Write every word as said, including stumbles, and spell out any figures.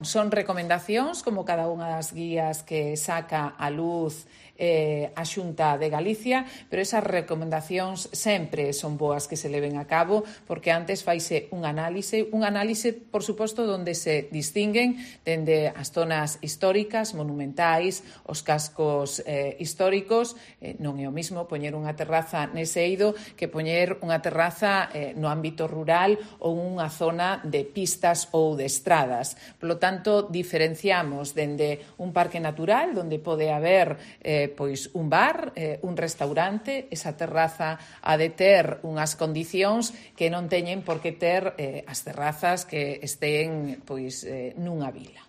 Son recomendacións, como cada unha das guías que saca a luz eh, a Xunta de Galicia, pero esas recomendacións sempre son boas que se leven a cabo, porque antes faise un análise, un análise, por suposto, donde se distinguen dende as zonas históricas, monumentais, os cascos eh, históricos. Eh, non é o mismo poñer unha terraza nese eido que poñer unha terraza eh, no ámbito rural ou unha zona de pistas ou de estradas. Por lo tanto, diferenciamos dende un parque natural, onde pode haber eh, pois un bar, eh, un restaurante, esa terraza ha de ter unhas condicións que non teñen por que ter eh, as terrazas que estén pois eh, nunha vila.